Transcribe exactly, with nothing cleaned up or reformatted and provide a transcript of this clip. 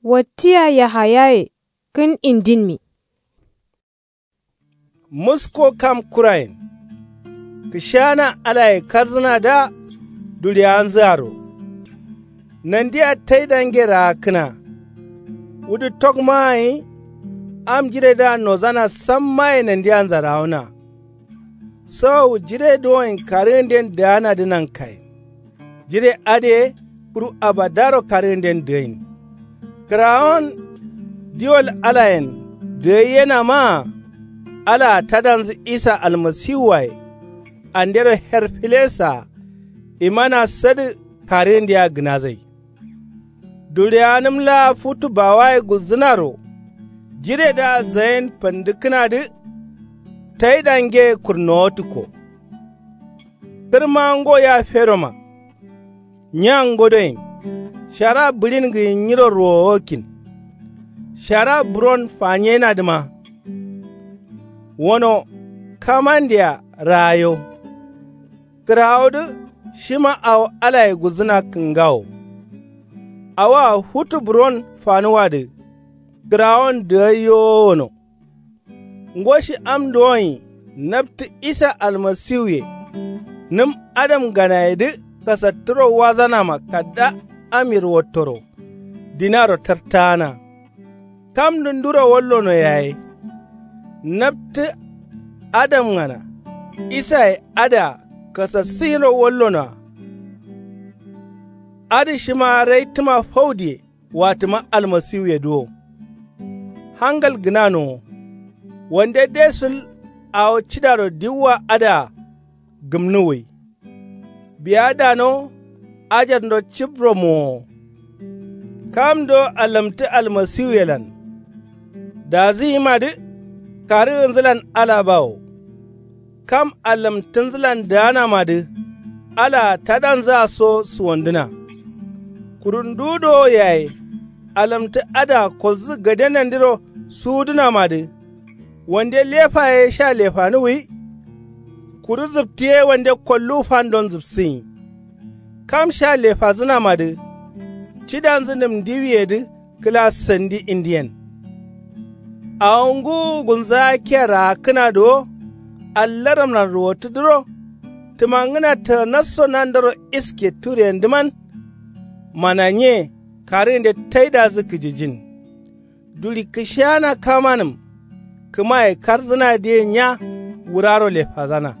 Wattiya yahayaye kǝn indinmi. Musko kam kurayen kǝshana alaye karzǝnadǝa duɍiyanzǝaro. Nandia taidange raakkǝna. Wudu tokmaa gǝnyi am jiredǝa nozana sammaye nandia nzarawona. Sawawu jire duwoyen karǝgǝnden dǝganadǝ nankayen. Jire adǝye kuru abadaro karǝgǝnden dǝgain. Kǝrawon diwol alayen dǝgaiyenamaa. Alaa tadanzǝ isa almasiwuwaye andero her filesaa imana sadǝ karǝgǝndea gǝnazai. Duɍiyanǝm laa futu bawaye gulzǝnaro. Jiredǝa zayen fandǝkkǝnadǝ taidangeye kurnowatǝkko. Kǝrma ngo ya feroma. Nya ngodoyen shara bǝɍin gǝyin nyiro ruwowakkin. Shara buron fanyenadǝma. Wono kamandea raayo. Kǝrawodǝ shima awo alaye gulzǝna kǝngawo. Awoa futu buron fanuwadǝ kǝrawon dǝgaiyowo wono. Ngo shi am duwonyi naptǝ isa almasiwuye. Nǝm adamganayedǝ kasattǝro wazanama kadda am yirwattoro dinaro tartaana. Kamdǝ nduro wallono yaye. Naptǝ adamgana isaye adǝa kasassǝnyiro wallonoa. Adǝ shima raitǝma faudiye watǝma almasiwuye duwo. Hangal gǝnanowo. Wande desul awo cidaro diwwa adǝa gǝmnuwwai. Biya dano ajarndo cibro mowo. Kamdo allamtǝ almasiwuyelan dazǝyimadǝ karǝgǝnzǝlan ala bawo. Kam allamtǝnzǝlan dǝganamadǝ alaa tadanzǝa so suwandǝna. Kuru ndu dowo yaye allamtǝ adǝa kolzǝ gade nandiro suwudǝnamadǝ. Wande lefa ye sha lefanuwwi. Kuru zǝptǝ ye wande kolluwu fandon zǝpsǝnyi. Kam sha lefazǝnamadǝ cidanzǝ nǝm ndiwiyedǝ kǝla sandi indiyen. Awo ngǝwu gulnzagakiya raakkǝna duwo. Allaramlan ruwottǝdǝro tǝmangǝna tǝganasso nandaro iske tureyendǝman. Mana nye karǝgǝnde taidazǝ kǝjijin. Duɍi kǝshana kamanǝm kǝmaye karzǝnadǝye nya wuraro lefazana.